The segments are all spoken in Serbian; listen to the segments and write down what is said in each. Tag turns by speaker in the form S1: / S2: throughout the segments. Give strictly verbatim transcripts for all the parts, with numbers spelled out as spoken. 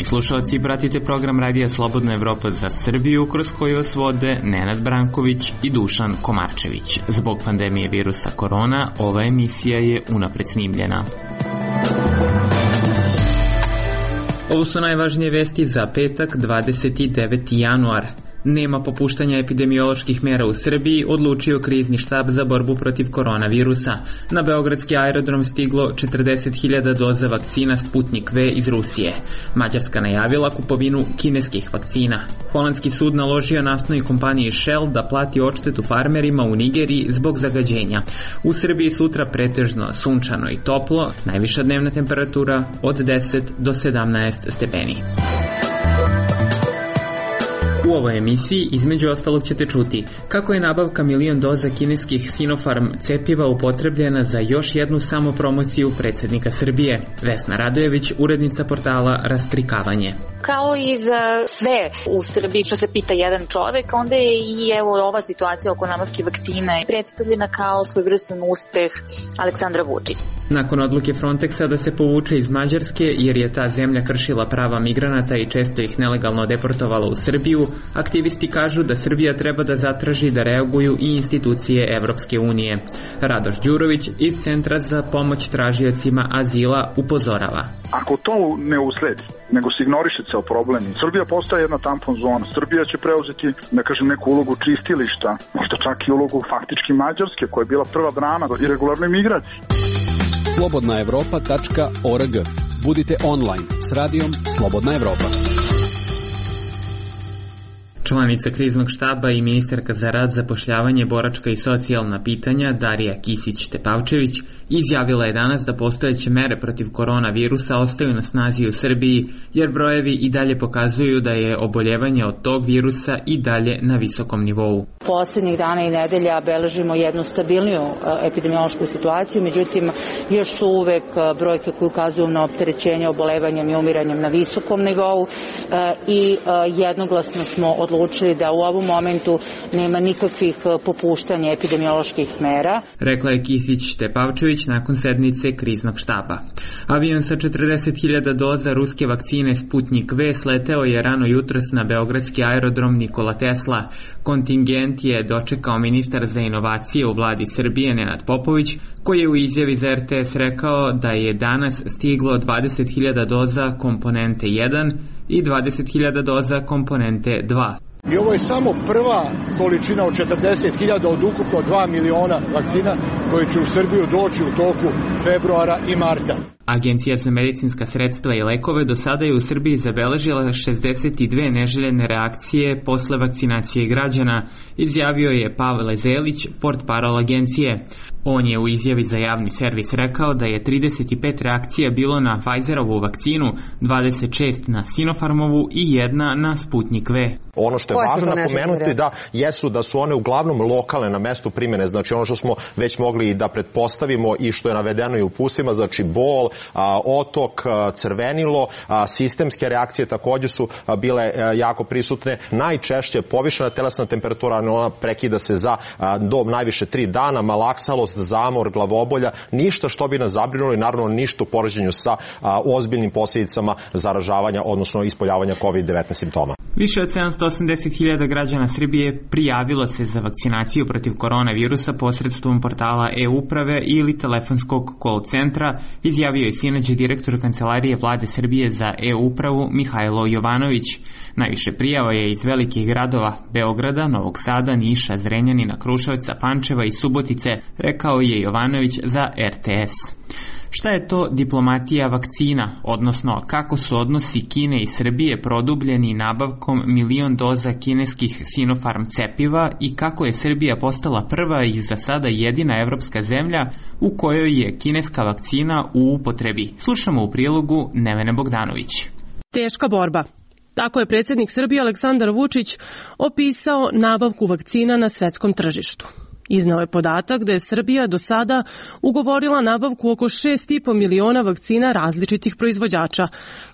S1: Poštovani slušalci, pratite program Radija Slobodna Evropa za Srbiju, kroz koji vas vode Nenad Branković i Dušan Komarčević. Zbog pandemije virusa korona, ova emisija je unapred snimljena. Ovo su najvažnije vesti za petak, dvadeset deveti januar. Nema popuštanja epidemioloških mera u Srbiji, odlučio krizni štab za borbu protiv koronavirusa. Na beogradski aerodrom stiglo četrdeset hiljada doza vakcina Sputnik V iz Rusije. Mađarska najavila kupovinu kineskih vakcina. Holandski sud naložio naftnoj kompaniji Shell da plati odštetu farmerima u Nigeriji zbog zagađenja. U Srbiji sutra pretežno sunčano i toplo, najviša dnevna temperatura od deset do sedamnaest stepeni. U ovoj emisiji, između ostalog, ćete čuti kako je nabavka milion doza kineskih Sinopharm cepiva upotrebljena za još jednu samopromociju predsjednika Srbije. Vesna Radojević, urednica portala Rastrikavanje.
S2: Kao i za sve u Srbiji što se pita jedan čovek, onda je i evo ova situacija oko nabavke vakcina predstavljena kao svojevrstan uspeh Aleksandra Vučića.
S1: Nakon odluke Frontexa da se povuče iz Mađarske jer je ta zemlja kršila prava migranata i često ih nelegalno deportovala u Srbiju, aktivisti kažu da Srbija treba da zatraži da reaguju i institucije Evropske unije. Radoš Đurović iz Centra za pomoć tražiocima azila upozorava.
S3: Ako to ne usledi, nego se ignoriše ceo problem, Srbija postaje jedna tampon zona. Srbija će preuzeti, da kažem, neku ulogu čistilišta, možda čak i ulogu faktički Mađarske, koja je bila prva brana do irregularne migracije.
S4: slobodna evropa tačka org. Budite online s radijom Slobodna Evropa.
S1: Članica kriznog štaba i ministarka za rad, zapošljavanje, boračka i socijalna pitanja Darija Kisić-Tepavčević izjavila je danas da postojeće mere protiv koronavirusa ostaju na snazi u Srbiji, jer brojevi i dalje pokazuju da je oboljevanje od tog virusa i dalje na visokom nivou.
S5: Poslednjih dana i nedelja beležimo jednu stabilniju epidemiološku situaciju, međutim još su uvek brojke koje ukazuju na opterećenje obolevanjem i umiranjem na visokom nivou i jednoglasno smo odlučili da u ovom momentu nema nikakvih popuštanja epidemioloških mera.
S1: Rekla je Kisić-Tepavčević nakon sednice kriznog štaba. Avion sa četrdeset hiljada doza ruske vakcine Sputnik V sleteo je rano jutros na beogradski aerodrom Nikola Tesla. Kontingent je dočekao ministar za inovacije u vladi Srbije Nenad Popović, koji je u izjavi za er te es rekao da je danas stiglo dvadeset hiljada doza komponente jedan i dvadeset hiljada doza komponente dva.
S6: I ovo je samo prva količina od četrdeset hiljada od ukupno dva miliona vakcina koje će u Srbiju doći u toku februara i marta.
S1: Agencija za medicinska sredstva i lekove do sada je u Srbiji zabeležila šezdeset dve neželjene reakcije posle vakcinacije građana, izjavio je Pavle Zelić, portparol agencije. On je u izjavi za javni servis rekao da je trideset pet reakcija bilo na Pfizerovu vakcinu, dvadeset šest na Sinopharmovu i jedna na Sputnik V.
S7: Ono što je važno napomenuti da jesu da su one uglavnom lokalne na mestu primjene, znači ono što smo već mogli da pretpostavimo i što je navedeno i u uputствima, znači bol, a, otok, a, crvenilo, a, sistemske reakcije takođe su a, bile a, jako prisutne. Najčešće povišena telesna temperatura, ona prekida se za a, do najviše tri dana, malaksalost, zamor, glavobolja, ništa što bi nas zabrinulo i naravno ništa u poređenju sa a, ozbiljnim posljedicama zaražavanja, odnosno ispoljavanja kovid devetnaest simptoma.
S1: Više od sedamsto osamdeset hiljada građana Srbije prijavilo se za vakcinaciju protiv koronavirusa posredstvom portala e-uprave ili telefonskog call centra, izjavio je sinoć direktor Kancelarije Vlade Srbije za e-upravu Mihajlo Jovanović. Najviše prijava je iz velikih gradova Beograda, Novog Sada, Niša, Zrenjanina, Kruševca, Pančeva i Subotice, rekao je Jovanović za er te es. Šta je to diplomatija vakcina, odnosno kako su odnosi Kine i Srbije produbljeni nabavkom milion doza kineskih Sinopharm cepiva i kako je Srbija postala prva i za sada jedina evropska zemlja u kojoj je kineska vakcina u upotrebi? Slušamo u prilogu Nevene Bogdanović.
S8: Teška borba. Tako je predsjednik Srbije Aleksandar Vučić opisao nabavku vakcina na svetskom tržištu. Iznao je podatak da je Srbija do sada ugovorila nabavku oko šest i po miliona vakcina različitih proizvođača,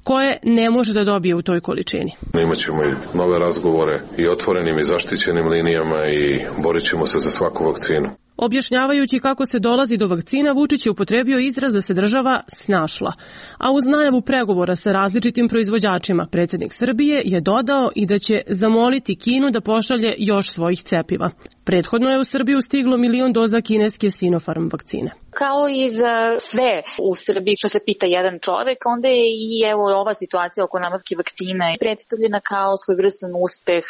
S8: koje ne može da dobije u toj količini.
S9: Imaćemo i nove razgovore i otvorenim i zaštićenim linijama i borit ćemo se za svaku vakcinu.
S8: Objašnjavajući kako se dolazi do vakcina, Vučić je upotrebio izraz da se država snašla. A uz najavu pregovora sa različitim proizvođačima, predsjednik Srbije je dodao i da će zamoliti Kinu da pošalje još svojih cepiva. Prethodno je u Srbiju stiglo milion doza kineske Sinopharm vakcine.
S2: Kao i za sve u Srbiji što se pita jedan čovek, onda je i evo ova situacija oko nabavke vakcina predstavljena kao svojevrstan uspeh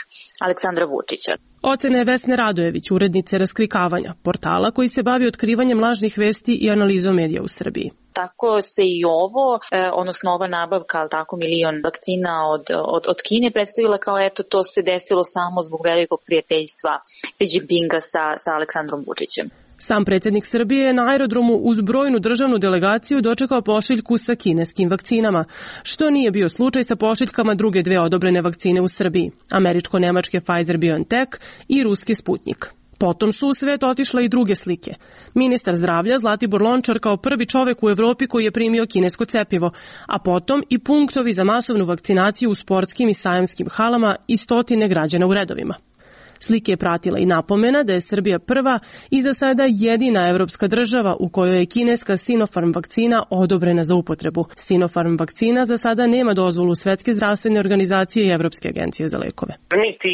S2: Aleksandra Vučića.
S8: Ocena je Vesne Radojević, urednice Raskrikavanja, portala koji se bavi otkrivanjem lažnih vesti i analizom medija u Srbiji.
S2: Tako se i ovo, odnosno ova nabavka, ali tako milion vakcina od, od, od Kine predstavila kao eto to se desilo samo zbog velikog prijateljstva Xi Jinpinga sa, sa Aleksandrom Vučićem.
S8: Sam predsjednik Srbije je na aerodromu uz brojnu državnu delegaciju dočekao pošiljku sa kineskim vakcinama, što nije bio slučaj sa pošiljkama druge dve odobrene vakcine u Srbiji, američko-nemačke Pfizer-BioNTech i ruski Sputnik. Potom su u svet otišle i druge slike. Ministar zdravlja Zlatibor Lončar kao prvi čovek u Evropi koji je primio kinesko cepivo, a potom i punktovi za masovnu vakcinaciju u sportskim i sajamskim halama i stotine građana u redovima. Slike je pratila i napomena da je Srbija prva i za sada jedina evropska država u kojoj je kineska Sinopharm vakcina odobrena za upotrebu. Sinopharm vakcina za sada nema dozvolu Svetske zdravstvene organizacije i Evropske agencije za lekove.
S9: Niti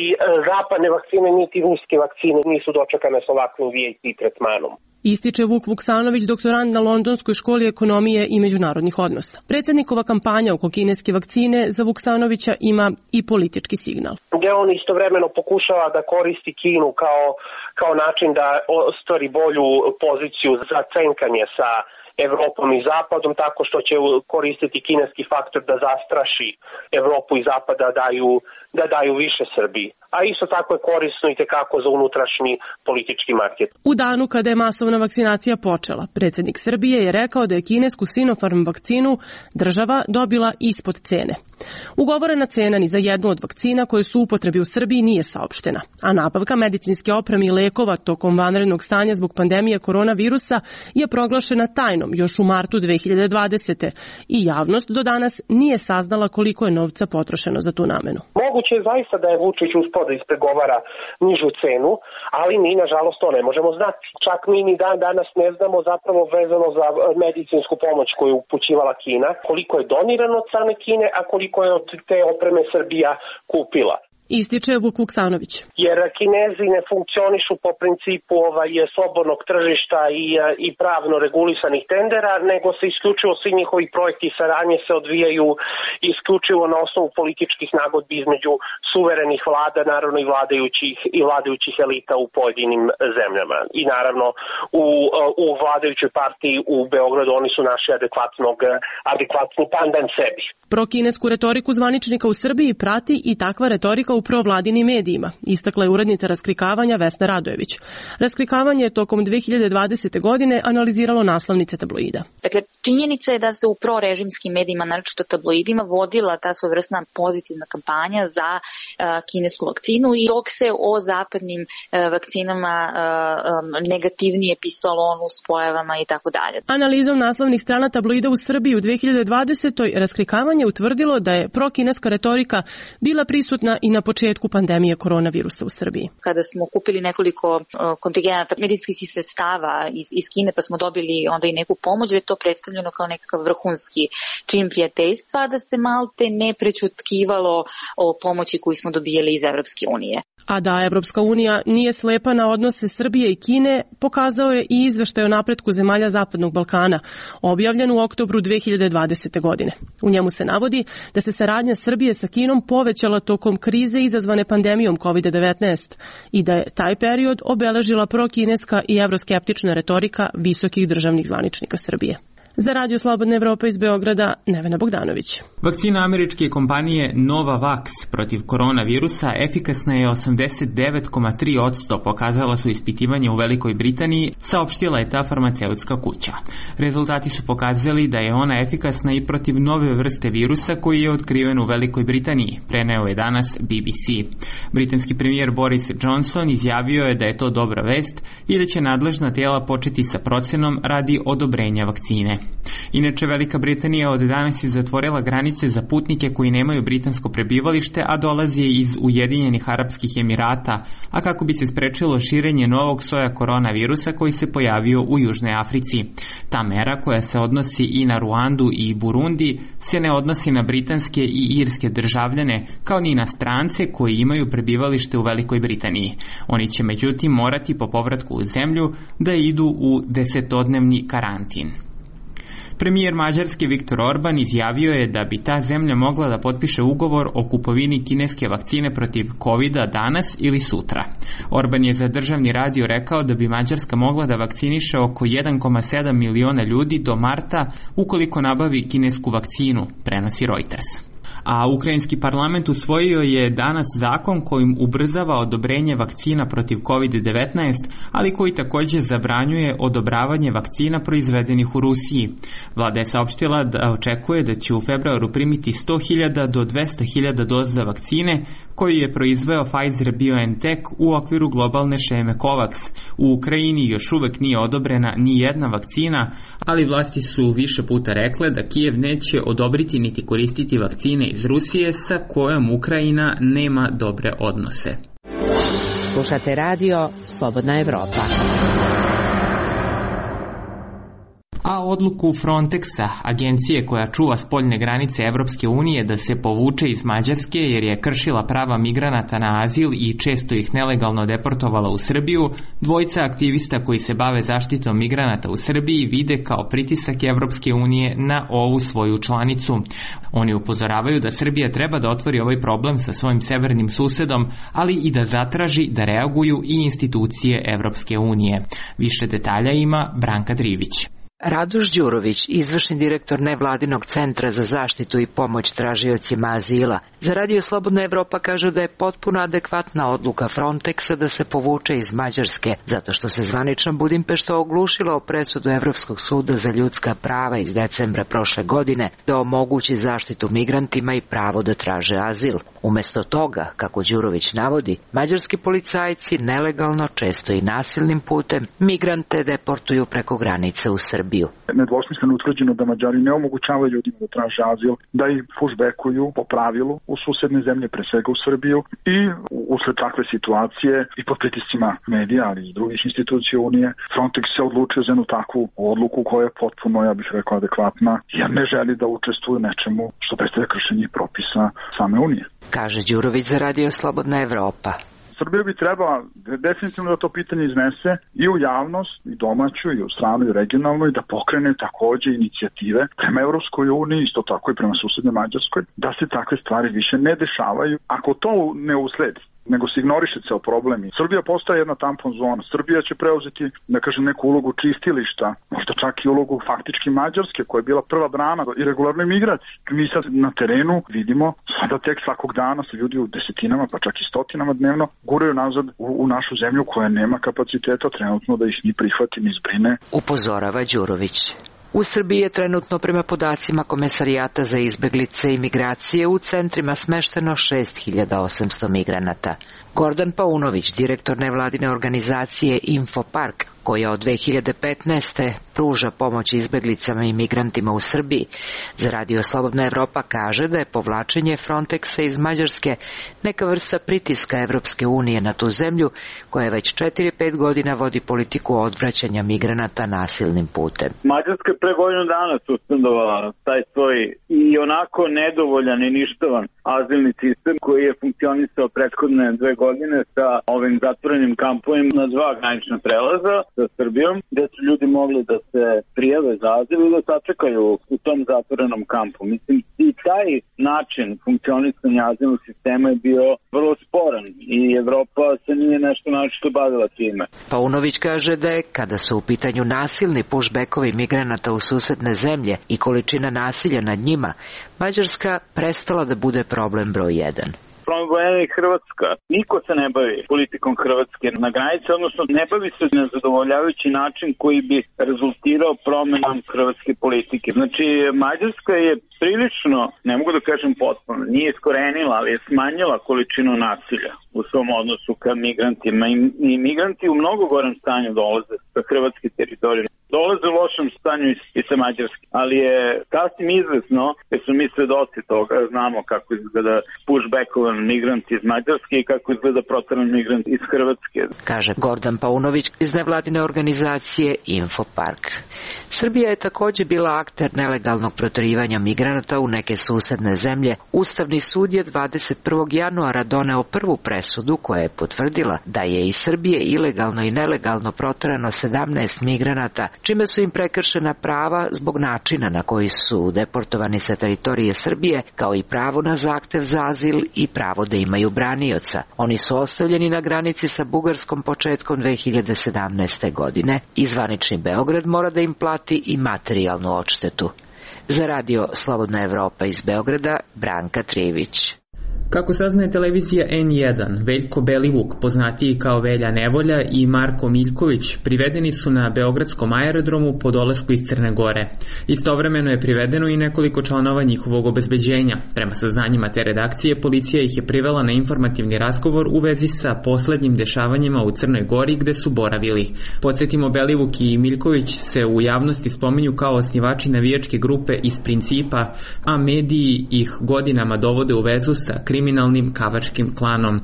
S9: zapadne vakcine, niti ruske vakcine nisu dočekane s ovakvim V I P tretmanom.
S8: Ističe Vuk Vuksanović, doktorant na Londonskoj školi ekonomije i međunarodnih odnosa. Predsjednikova kampanja oko kineske vakcine za Vuksanovića ima i politički signal.
S9: Gde on istovremeno pokušava da koristi Kinu kao, kao način da ostvari bolju poziciju za cenkanje sa Evropom i Zapadom, tako što će koristiti kineski faktor da zastraši Evropu i Zapad da daju, da daju više Srbiji. A isto tako je korisno i tekako za unutrašnji politički market.
S8: U danu kada je masovna vakcinacija počela, predsjednik Srbije je rekao da je kinesku Sinopharm vakcinu država dobila ispod cene. Ugovorena cena ni za jednu od vakcina koje su u upotrebi u Srbiji nije saopštena, a nabavka medicinske opreme i lekova tokom vanrednog stanja zbog pandemije koronavirusa je proglašena tajnom još u martu dve hiljade dvadesete. i javnost do danas nije saznala koliko je novca potrošeno za tu namenu.
S9: Moguće je zaista da je Vučić uspeo da ispregovara nižu cenu, ali mi nažalost to ne možemo znati. Čak mi ni dan danas ne znamo zapravo vezano za medicinsku pomoć koju je upućivala Kina, koliko je donirano od strane Kine, a koliko je od te opreme Srbija kupila.
S8: Ističe Vuk Vuksanović.
S9: Jer Kinezi ne funkcionišu po principu ovaj, slobodnog tržišta i, i pravno regulisanih tendera, nego se isključivo svi njihovi projekti i saradnje se odvijaju isključivo na osnovu političkih nagodbi između suverenih vlada, naravno i vladajućih, i vladajućih elita u pojedinim zemljama. I naravno u, u vladajućoj partiji u Beogradu oni su naši adekvatnog, adekvatni pandan sebi.
S8: Prokinesku retoriku zvaničnika u Srbiji prati i takva retorika u provladinim medijima, istakla je urednica Raskrikavanja Vesna Radojević. Raskrikavanje je tokom dve hiljade dvadesete. godine analiziralo naslovnice tabloida.
S2: Dakle, činjenica je da se u prorežimskim medijima, naročito tabloidima, vodila ta svojevrsna pozitivna kampanja za uh, kinesku vakcinu i dok se o zapadnim uh, vakcinama uh, um, negativnije pisalo o nuspojavama i tako dalje.
S8: Analizom naslovnih strana tabloida u Srbiji u dve hiljade dvadesetoj. Raskrikavanje utvrdilo da je prokineska retorika bila prisutna i na početku pandemije koronavirusa u Srbiji.
S2: Kada smo kupili nekoliko kontingenata medicinskih sredstava iz, iz Kine, pa smo dobili onda i neku pomoć, da je to predstavljeno kao nekakav vrhunski čin prijateljstva, da se malte ne prećutkivalo o pomoći koju smo dobijali iz Evropske unije.
S8: A da Evropska unija nije slepa na odnose Srbije i Kine, pokazao je i izveštaj o napretku zemalja Zapadnog Balkana, objavljen u oktobru dve hiljade dvadesete. godine. U njemu se navodi da se saradnja Srbije sa Kinom povećala tokom krize izazvane pandemijom kovid devetnaest i da je taj period obeležila prokineska i evroskeptična retorika visokih državnih zvaničnika Srbije. Za Radio Slobodna Evropa iz Beograda, Nevena Bogdanović.
S1: Vakcina američke kompanije Novavax protiv koronavirusa efikasna je osamdeset devet zarez tri posto, pokazala su ispitivanje u Velikoj Britaniji, saopštila je ta farmaceutska kuća. Rezultati su pokazali da je ona efikasna i protiv nove vrste virusa koji je otkriven u Velikoj Britaniji, preneo je danas B B C. Britanski premijer Boris Johnson izjavio je da je to dobra vest i da će nadležna tijela početi sa procenom radi odobrenja vakcine. Inače, Velika Britanija od danas je zatvorila granice za putnike koji nemaju britansko prebivalište, a dolaze iz Ujedinjenih Arapskih Emirata, a kako bi se sprečilo širenje novog soja koronavirusa koji se pojavio u Južnoj Africi. Ta mera, koja se odnosi i na Ruandu i Burundi, se ne odnosi na britanske i irske državljane, kao ni na strance koji imaju prebivalište u Velikoj Britaniji. Oni će međutim morati po povratku u zemlju da idu u desetodnevni karantin. Premijer Mađarske Viktor Orban izjavio je da bi ta zemlja mogla da potpiše ugovor o kupovini kineske vakcine protiv kovida danas ili sutra. Orban je za državni radio rekao da bi Mađarska mogla da vakciniše oko jedan zarez sedam miliona ljudi do marta ukoliko nabavi kinesku vakcinu, prenosi Reuters. A ukrajinski parlament usvojio je danas zakon kojim ubrzava odobrenje vakcina protiv kovid devetnaest, ali koji također zabranjuje odobravanje vakcina proizvedenih u Rusiji. Vlada je saopštila da očekuje da će u februaru primiti sto hiljada do dvesta hiljada doza vakcine koju je proizveo Pfizer-BioNTech u okviru globalne šeme COVAX. U Ukrajini još uvek nije odobrena ni jedna vakcina, ali vlasti su više puta rekle da Kijev neće odobriti niti koristiti vakcine iz Rusije sa kojom Ukrajina nema dobre odnose.
S10: Slušate radio Slobodna Evropa.
S1: A odluku Frontexa, agencije koja čuva spoljne granice Evropske unije, da se povuče iz Mađarske jer je kršila prava migranata na azil i često ih nelegalno deportovala u Srbiju, dvojica aktivista koji se bave zaštitom migranata u Srbiji vide kao pritisak Evropske unije na ovu svoju članicu. Oni upozoravaju da Srbija treba da otvori ovaj problem sa svojim severnim susedom, ali i da zatraži da reaguju i institucije Evropske unije. Više detalja ima Branka Drivić.
S10: Radoš Đurović, izvršni direktor nevladinog centra za zaštitu i pomoć tražiocima azila, za Radio Slobodna Evropa kaže da je potpuno adekvatna odluka Frontexa da se povuče iz Mađarske, zato što se zvanično Budimpešta oglušila o presudu Evropskog suda za ljudska prava iz decembra prošle godine da omogući zaštitu migrantima i pravo da traže azil. Umesto toga, kako Đurović navodi, mađarski policajci nelegalno, često i nasilnim putem, migrante deportuju preko granice u Srbiju.
S3: Nedvosmisleno utvrđeno da Mađari ne omogućavaju ljudima da traže azil, da ih pushbackuju po pravilu u susedne zemlje, pre svega u Srbiju, i usled takve situacije i pod pritiscima medija, ali i drugih institucija Unije, Frontex se odlučio za jednu takvu odluku koja je potpuno, ja bih rekao, adekvatna, jer ne želi da učestvuje nečemu što predstavlja kršenje propisa same Unije.
S10: Kaže Đurović za Radio Slobodna Evropa.
S3: Srbija bi trebala definitivno da to pitanje iznese i u javnost, i domaću, i u stranu, i regionalnu, i da pokrene takođe inicijative prema Evropskoj uniji, isto tako i prema susednoj Mađarskoj, da se takve stvari više ne dešavaju. Ako to ne usledi, nego se ignoriše ceo problem. Srbija postaje jedna tampon zona. Srbija će preuzeti, da kažem, neku ulogu čistilišta, možda čak i ulogu faktički Mađarske, koja je bila prva brana i regularnoj migraciji. Mi sad na terenu vidimo, sada tek svakog dana se ljudi u desetinama, pa čak i stotinama dnevno guraju nazad u, u našu zemlju koja nema kapaciteta trenutno da ih ni prihvati ni zbrine.
S10: Upozorava Đurović. U Srbiji je trenutno prema podacima Komesarijata za izbeglice i migracije u centrima smešteno šest hiljada osamsto migranata. Gordan Paunović, direktor nevladine organizacije Infopark, koja od dve hiljade petnaeste pruža pomoć izbeglicama i migrantima u Srbiji, za Radio Slobodna Evropa kaže da je povlačenje Frontexa iz Mađarske neka vrsta pritiska Evropske unije na tu zemlju, koja već četiri pet godina vodi politiku odvraćanja migranata nasilnim putem.
S11: Mađarska je pre godinu dana suspendovala taj svoj i onako nedovoljan i ništavan azilni sistem koji je funkcionisao prethodne dve godine sa ovim zatvorenim kampovima na dva granična prelaza sa Srbijom, gde su ljudi mogli da se prijave za azil i da sačekaju u tom zatvorenom kampu. Mislim, i taj način funkcionisanja azilnog sistema je bio vrlo sporan i Evropa se nije nešto našto bavila time.
S10: Paunović kaže da je, kada su u pitanju nasilni pushbackovi migranata u susedne zemlje i količina nasilja nad njima, Mađarska prestala da bude problem broj jedan.
S11: Problem je Hrvatska. Niko se ne bavi politikom Hrvatske na granici, odnosno ne bavi se na zadovoljavajući način koji bi rezultirao promenom hrvatske politike. Znači, Mađarska je prilično, ne mogu da kažem potpuno, nije iskorenila, ali je smanjila količinu nasilja u svom odnosu ka migrantima. I, i migranti u mnogo gorem stanju dolaze sa hrvatske teritorije. dolaze u lošem stanju i sa Mađarske. Ali je sasvim izvesno, jer su mi svedoci toga, znamo kako izgleda pushbackovan migrant iz Mađarske i kako izgleda proteran migrant iz Hrvatske.
S10: Kaže Gordan Paunović iz nevladine organizacije Infopark. Srbija je takođe bila akter nelegalnog proterivanja migranata u neke susedne zemlje. Ustavni sud je dvadeset prvog januara doneo prvu presudu koja je potvrdila da je iz Srbije ilegalno i nelegalno proterano sedamnaest migranata, čime su im prekršena prava zbog načina na koji su deportovani sa teritorije Srbije, kao i pravo na zahtev za azil i pravo da imaju branioca. Oni su ostavljeni na granici sa Bugarskom početkom dve hiljade sedamnaeste. godine i zvanični Beograd mora da im plati i materijalnu odštetu. Za radio Slobodna Evropa iz Beograda, Branka Trivić.
S1: Kako saznaje televizija en jedan, Veljko Belivuk, poznatiji kao Velja Nevolja, i Marko Miljković privedeni su na beogradskom aerodromu po dolasku iz Crne Gore. Istovremeno je privedeno i nekoliko članova njihovog obezbeđenja. Prema saznanjima te redakcije, policija ih je privela na informativni razgovor u vezi sa poslednjim dešavanjima u Crnoj Gori gde su boravili. Podsjetimo, Belivuk i Miljković se u javnosti spominju kao osnivači navijačke grupe iz Principa, a mediji ih godinama dovode u vezu sa kriminalnim kavačkim klanom.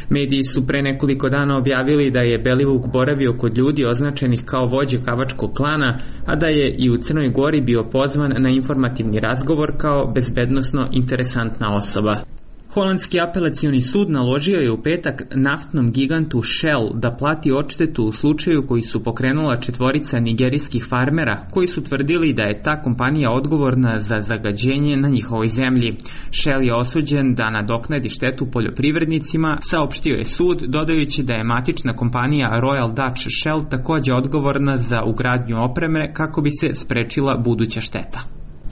S1: Mediji su pre nekoliko dana objavili da je Belivuk boravio kod ljudi označenih kao vođe kavačkog klana, a da je i u Crnoj Gori bio pozvan na informativni razgovor kao bezbednosno interesantna osoba. Holandski apelacioni sud naložio je u petak naftnom gigantu Shell da plati odštetu u slučaju koji su pokrenula četvorica nigerijskih farmera koji su tvrdili da je ta kompanija odgovorna za zagađenje na njihovoj zemlji. Shell je osuđen da nadoknadi štetu poljoprivrednicima, saopštio je sud, dodajući da je matična kompanija Royal Dutch Shell takođe odgovorna za ugradnju opreme kako bi se sprečila buduća šteta.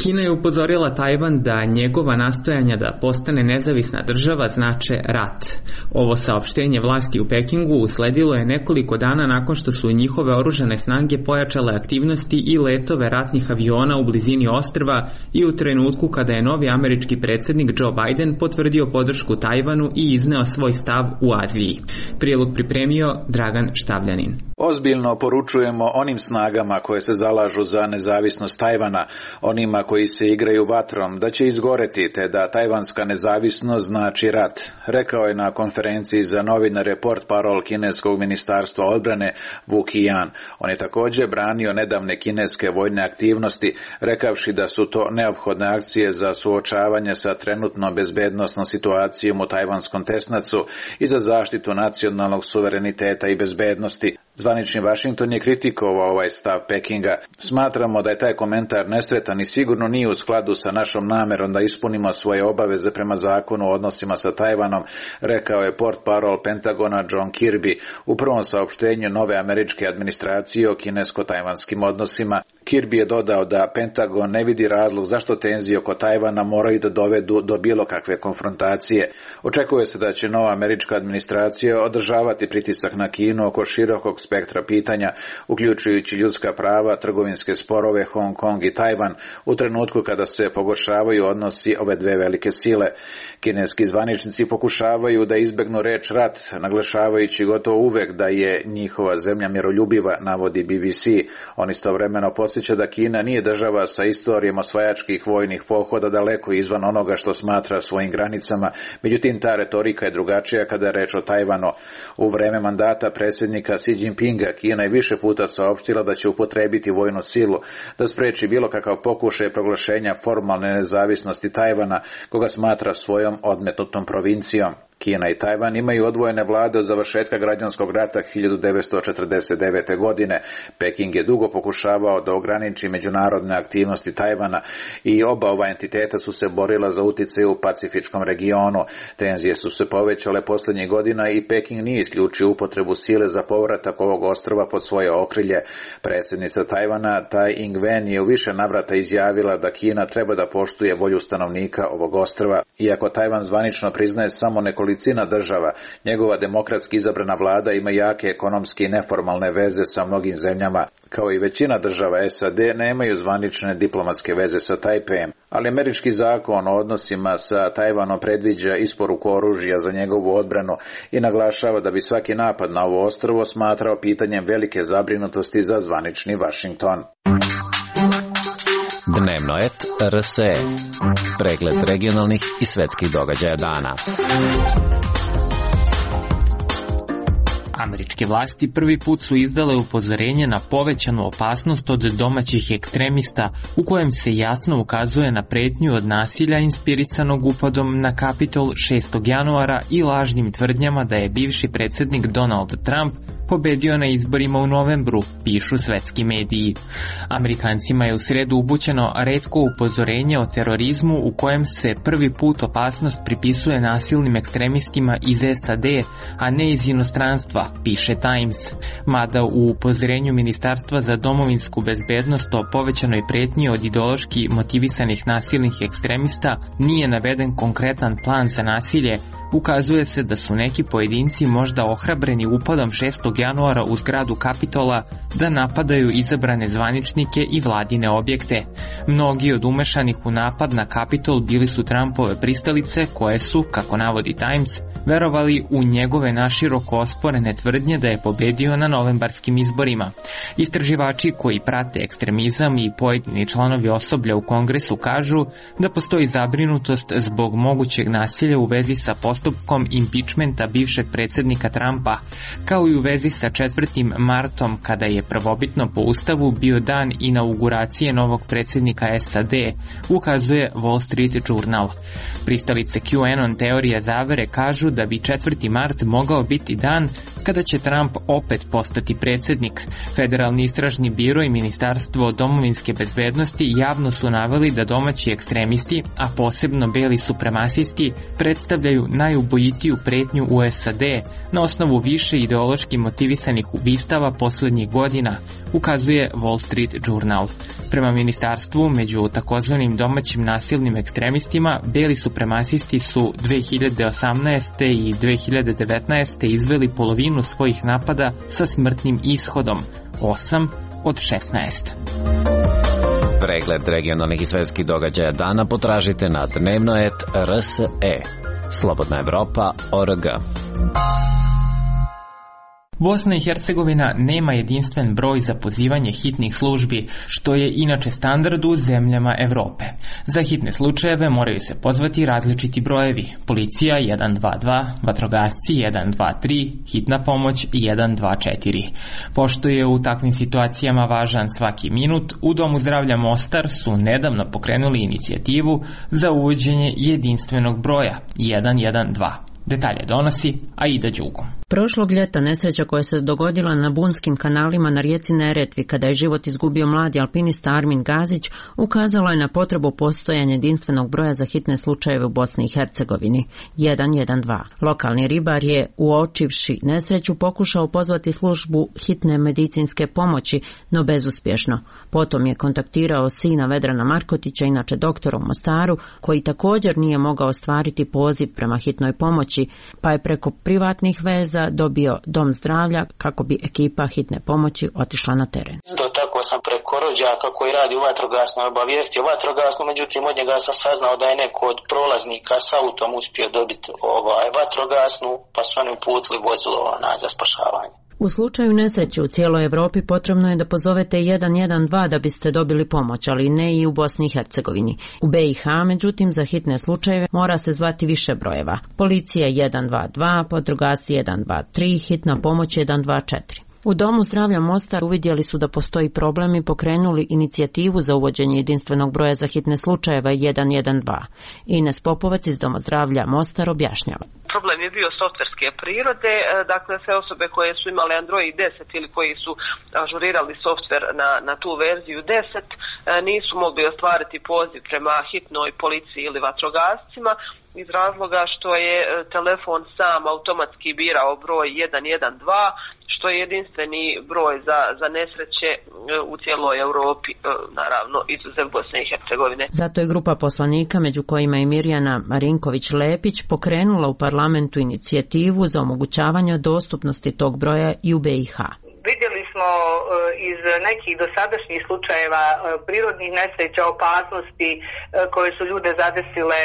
S1: Kina je upozorila Tajvan da njegova nastojanja da postane nezavisna država znače rat. Ovo saopštenje vlasti u Pekingu usledilo je nekoliko dana nakon što su njihove oružane snage pojačale aktivnosti i letove ratnih aviona u blizini ostrva i u trenutku kada je novi američki predsjednik Joe Biden potvrdio podršku Tajvanu i izneo svoj stav u Aziji. Prilog pripremio Dragan Štavljanin.
S12: Ozbiljno poručujemo onim snagama koje se zalažu za nezavisnost Tajvana, onima koji se igraju vatrom, da će izgoreti, te da tajvanska nezavisnost znači rat, rekao je na konferenciji za novinare portparol kineskog ministarstva odbrane Wu Qian. On je također branio nedavne kineske vojne aktivnosti, rekavši da su to neophodne akcije za suočavanje sa trenutnom bezbednosnom situacijom u tajvanskom tesnacu i za zaštitu nacionalnog suvereniteta i bezbednosti. Zvanični Washington je kritikovao ovaj stav Pekinga. Smatramo da je taj komentar nesretan i sigurno nije u skladu sa našom namerom da ispunimo svoje obaveze prema zakonu o odnosima sa Tajvanom, rekao je portparol Pentagona John Kirby u prvom saopštenju nove američke administracije o kinesko-tajvanskim odnosima. Kirby je dodao da Pentagon ne vidi razlog zašto tenzije oko Tajvana moraju da dovedu do bilo kakve konfrontacije. Očekuje se da će nova američka administracija održavati pritisak na Kinu oko širokog spektra pitanja, uključujući ljudska prava, trgovinske sporove, Hong Kong i Tajvan, u trenutku kada se pogoršavaju odnosi ove dve velike sile. Kineski zvaničnici pokušavaju da izbegnu reč rat, naglašavajući gotovo uvek da je njihova zemlja miroljubiva, navodi B B C. On istovremeno podsjeća da Kina nije država sa istorijom osvajačkih vojnih pohoda daleko izvan onoga što smatra svojim granicama, međutim ta retorika je drugačija kada je reč o Tajvanu. U vreme mandata predsjednika Xi Jinpinga Kina je više puta saopštila da će upotrebiti vojnu silu da spreči bilo kakav pokušaj proglašenja formalne nezavisnosti Tajvana, koga smatra svojom odmetnutom provincijom. Kina i Tajvan imaju odvojene vlade od završetka građanskog rata hiljadu devetsto četrdeset devete. godine. Peking je dugo pokušavao da ograniči međunarodne aktivnosti Tajvana i oba ova entiteta su se borila za uticaj u pacifičkom regionu. Tenzije su se povećale posljednjih godina i Peking nije isključio upotrebu sile za povratak ovog ostrva pod svoje okrilje. Predsjednica Tajvana Tai Ing-wen je u više navrata izjavila da Kina treba da poštuje volju stanovnika ovog ostrva. Iako Tajvan zvanično priznaje samo nekoliko nekolicina država. Njegova demokratski izabrana vlada ima jake ekonomske i neformalne veze sa mnogim zemljama. Kao i većina država S A D nemaju zvanične diplomatske veze sa Tajpejem, ali američki zakon o odnosima sa Tajvanom predviđa isporuku oružja za njegovu odbranu i naglašava da bi svaki napad na ovo ostrvo smatrao pitanjem velike zabrinutosti za zvanični Vašington.
S13: Dnevno et R S E. Pregled regionalnih i svetskih događaja dana.
S1: Američke vlasti prvi put su izdale upozorenje na povećanu opasnost od domaćih ekstremista u kojem se jasno ukazuje na pretnju od nasilja inspirisanog upadom na Kapitol šestog januara i lažnim tvrdnjama da je bivši predsjednik Donald Trump pobedio na izborima u novembru, pišu svetski mediji. Amerikancima je u sredu upućeno retko upozorenje o terorizmu u kojem se prvi put opasnost pripisuje nasilnim ekstremistima iz S A D, a ne iz inostranstva, piše Times. Mada u upozorenju Ministarstva za domovinsku bezbednost o povećanoj pretnji od ideološki motivisanih nasilnih ekstremista nije naveden konkretan plan za nasilje, ukazuje se da su neki pojedinci možda ohrabreni upadom šestog januara u zgradu Kapitola da napadaju izabrane zvaničnike i vladine objekte. Mnogi od umešanih u napad na Kapitol bili su Trumpove pristalice koje su, kako navodi Times, verovali u njegove naširoko osporene tvrdnje da je pobedio na novembarskim izborima. Istraživači koji prate ekstremizam i pojedini članovi osoblja u Kongresu kažu da postoji zabrinutost zbog mogućeg nasilja u vezi sa postupkom impičmenta bivšeg predsjednika Trumpa, kao i u vezi sa četvrtim martom kada je prvobitno po ustavu bio dan inauguracije novog predsjednika S A D, ukazuje Wall Street Journal. Pristalice QAnon teorije zavere kažu da bi četvrti mart mogao biti dan kada će Trump opet postati predsjednik. Federalni istražni biro i Ministarstvo domovinske bezbednosti javno su naveli da domaći ekstremisti, a posebno beli supremasisti, predstavljaju najubojitiju pretnju u S A D na osnovu više ideološki motivisanih ubistava posljednjih godina, ukazuje Wall Street Journal. Prema ministarstvu, među takozvanim domaćim nasilnim ekstremistima, beli supremasisti su dve hiljade osamnaeste. i dve hiljade devetnaeste. izveli polovinu svojih napada sa smrtnim ishodom, osam od šesnaest.
S13: Pregled regionalnih i svetskih događaja dana potražite na dnevno et R S E. Slobodna Evropa O R G.
S1: Bosna i Hercegovina nema jedinstven broj za pozivanje hitnih službi, što je inače standard u zemljama Evrope. Za hitne slučajeve moraju se pozvati različiti brojevi. Policija jedan dva dva, vatrogasci jedan dva tri, hitna pomoć jedan dva četiri. Pošto je u takvim situacijama važan svaki minut, u Domu zdravlja Mostar su nedavno pokrenuli inicijativu za uvođenje jedinstvenog broja jedan jedan dva. Detalje donosi Aida Đugo.
S14: Prošlog ljeta nesreća koja se dogodila na bunskim kanalima na rijeci Neretvi kada je život izgubio mladi alpinista Armin Gazić ukazalo je na potrebu postojanja jedinstvenog broja za hitne slučajeve u Bosni i Hercegovini jedan jedan dva. Lokalni ribar je, uočivši nesreću, pokušao pozvati službu hitne medicinske pomoći, no bezuspješno. Potom je kontaktirao sina Vedrana Markotića, inače doktora u Mostaru, koji također nije mogao ostvariti poziv prema hitnoj pomoći, pa je preko privatnih veza dobio dom zdravlja kako bi ekipa hitne pomoći otišla na teren.
S15: Do tako sam preko rođaka koji radi u vatrogasnoj obavijestio vatrogasnu, međutim od njega sam saznao da je neko od prolaznika s autom uspio dobiti ovaj vatrogasnu, pa su oni uputili vozilo na za spašavanje.
S14: U slučaju nesreće u cijeloj Evropi potrebno je da pozovete jedan jedan dva da biste dobili pomoć, ali ne i u Bosni i Hercegovini. U B i H, međutim, za hitne slučajeve mora se zvati više brojeva. Policija jedan dva dva, vatrogasci jedan dva tri, hitna pomoć jedan dva četiri. U Domu zdravlja Mostar uvidjeli su da postoji problem i pokrenuli inicijativu za uvođenje jedinstvenog broja za hitne slučajeve jedan jedan dva. Ines Popovac iz Doma zdravlja Mostar objašnjava.
S16: Problem je bio softverske prirode, dakle sve osobe koje su imale Android deset ili koji su ažurirali softver na, na tu verziju deset nisu mogli ostvariti poziv prema hitnoj policiji ili vatrogascima iz razloga što je telefon sam automatski birao broj jedan jedan dva, što je jedinstveni broj za, za nesreće u cijeloj Europi, naravno izuzev Bosne i Hercegovine.
S14: Zato je grupa poslanika, među kojima i Mirjana Marinković-Lepić, pokrenula u parlamentu inicijativu za omogućavanje dostupnosti tog broja i u B i H.
S17: Vidjeli smo iz nekih dosadašnjih slučajeva prirodnih nesreća, opasnosti koje su ljude zadesile,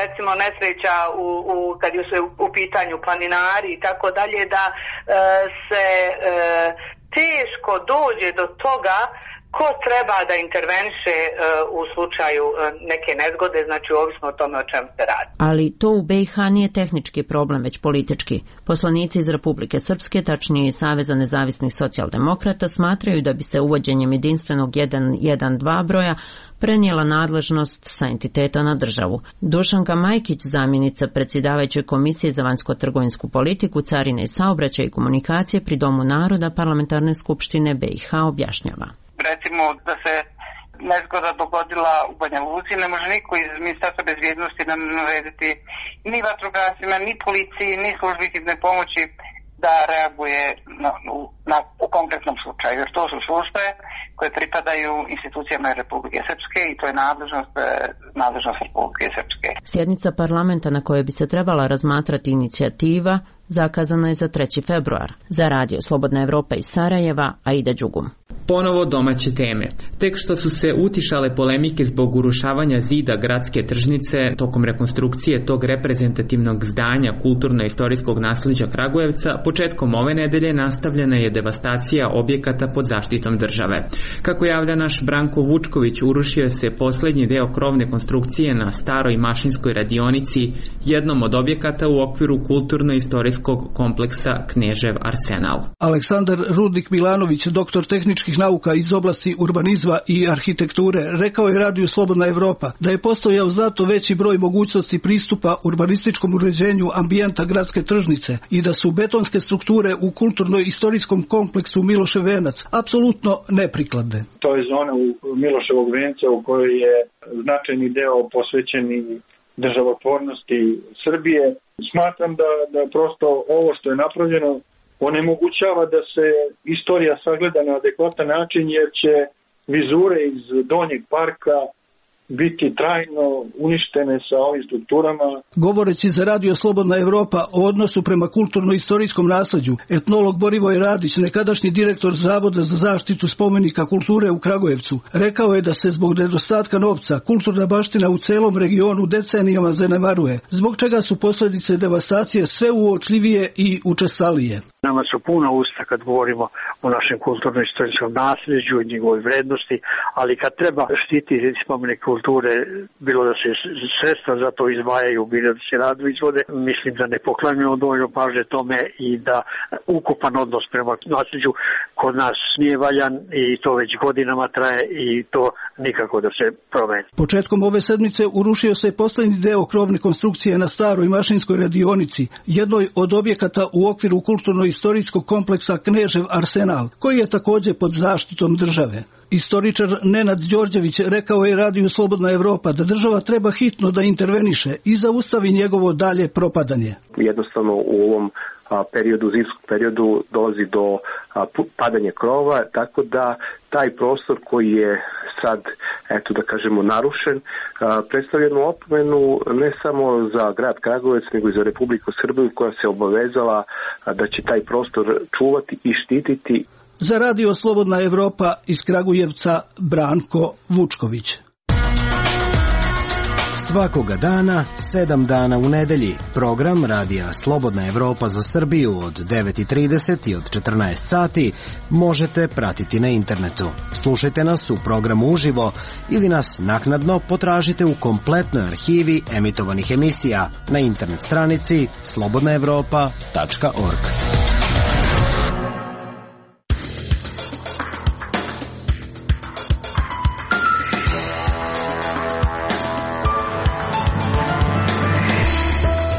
S17: recimo nesreća u, u, kad su u pitanju planinari i tako dalje, da se teško dođe do toga ko treba da interveniše uh, u slučaju uh, neke nezgode, znači ovisno o tome o čemu se radi.
S14: Ali to u B i H nije tehnički problem, već politički. Poslanici iz Republike Srpske, tačnije iz Saveza nezavisnih socijaldemokrata, smatraju da bi se uvođenjem jedinstvenog jedan jedan dva broja prenijela nadležnost sa entiteta na državu. Dušanka Majkić, zamjenica predsjedavajuće Komisije za vanjsko-trgovinsku politiku, carine i saobraćaj i komunikacije pri Domu naroda Parlamentarne skupštine B i H objašnjava.
S18: Recimo da se nezgoda dogodila u Banja Luci, ne može niko iz Ministarstva bezbjednosti nam narediti ni vatrogascima, ni policiji, ni službi hitne pomoći da reaguje na, na, u konkretnom slučaju. Jer to su službe koje pripadaju institucijama Republike Srpske i to je nadležnost, nadležnost Republike Srpske.
S14: Sjednica parlamenta na kojoj bi se trebala razmatrati inicijativa zakazana je za treći februar. Za radio Slobodna Evropa iz Sarajeva, Aida Đugum.
S1: Ponovo domaće teme. Tek što su se utišale polemike zbog urušavanja zida gradske tržnice tokom rekonstrukcije tog reprezentativnog zdanja kulturno-istorijskog nasleđa Kragujevca, početkom ove nedelje nastavljena je devastacija objekata pod zaštitom države. Kako javlja naš Branko Vučković, urušio se poslednji deo krovne konstrukcije na staroj mašinskoj radionici, jednom od objekata u okviru kulturno-istorijskog kompleksa Knežev Arsenal.
S19: Aleksandar Rudnik Milanović, doktor tehničkih nauka iz oblasti urbanizma i arhitekture, rekao je radiju Slobodna Evropa da je postojao znatno veći broj mogućnosti pristupa urbanističkom uređenju ambijenta gradske tržnice i da su betonske strukture u kulturno-istorijskom kompleksu Milošev venac apsolutno neprikladne.
S20: To je zona u Miloševog venca u kojoj je značajni deo posvećeni državotvornosti Srbije. Smatram da, da prosto ovo što je napravljeno onemogućava da se istorija sagleda na adekvatan način, jer će vizure iz Donjeg parka biti trajno uništene sa ovim strukturama.
S19: Govoreći za radio Slobodna Evropa o odnosu prema kulturno-istorijskom nasleđu, etnolog Borivoj Radić, nekadašnji direktor Zavoda za zaštitu spomenika kulture u Kragujevcu, rekao je da se zbog nedostatka novca kulturna baština u celom regionu decenijama zanemaruje, zbog čega su posljedice devastacije sve uočljivije i učestalije.
S21: Nama su puna usta kad govorimo o našem kulturno-istorijskom nasljeđu i njegovoj vrednosti, ali kad treba štititi spomenik kulture, bilo da se sredstva za to izdvajaju, bilo da se radovi izvode, mislim da ne poklanjujemo dovoljno pažnje tome i da ukupan odnos prema nasljeđu kod nas nije valjan i to već godinama traje i to nikako da se promeni.
S19: Početkom ove sedmice urušio se poslednji deo krovne konstrukcije na staroj mašinskoj radionici, jednoj od objekata u okviru kulturno istorijskog kompleksa Knežev Arsenal, koji je također pod zaštitom države. Istoričar Nenad Đorđević rekao je radiju Slobodna Evropa da država treba hitno da interveniše i zaustavi njegovo dalje propadanje.
S22: Jednostavno u ovom periodu, zimskom periodu dolazi do padanja krova, tako da taj prostor koji je sad, eto da kažemo, narušen, predstavlja jednu opomenu ne samo za grad Kragujevac, nego i za Republiku Srbiju, koja se obavezala da će taj prostor čuvati i štititi.
S19: Za radio Slobodna Evropa iz Kragujevca, Branko Vučković.
S23: Svakoga dana, sedam dana u nedelji, program radija Slobodna Evropa za Srbiju od devet i trideset i od četrnaest sati možete pratiti na internetu. Slušajte nas u programu uživo ili nas naknadno potražite u kompletnoj arhivi emitovanih emisija na internet stranici slobodna evropa tačka org.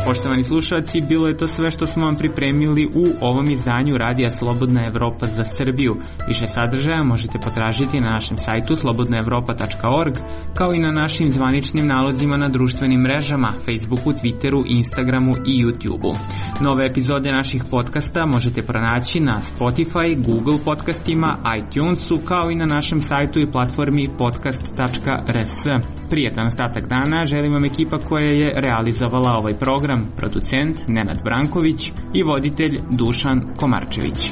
S1: Poštovani Poštovani slušalci, bilo je to sve što smo vam pripremili u ovom izdanju Radija Slobodna Evropa za Srbiju. Više sadržaja možete potražiti na našem sajtu slobodna evropa tačka org, kao i na našim zvaničnim nalozima na društvenim mrežama, Facebooku, Twitteru, Instagramu i YouTubeu. Nove epizode naših podcasta možete pronaći na Spotify, Google podcastima, iTunesu, kao i na našem sajtu i platformi podcast tačka r s. Prijetan ostatak dana želim vam ekipa koja je realizovala ovaj program, producent Nenad Branković i voditelj Dušan Komarčević.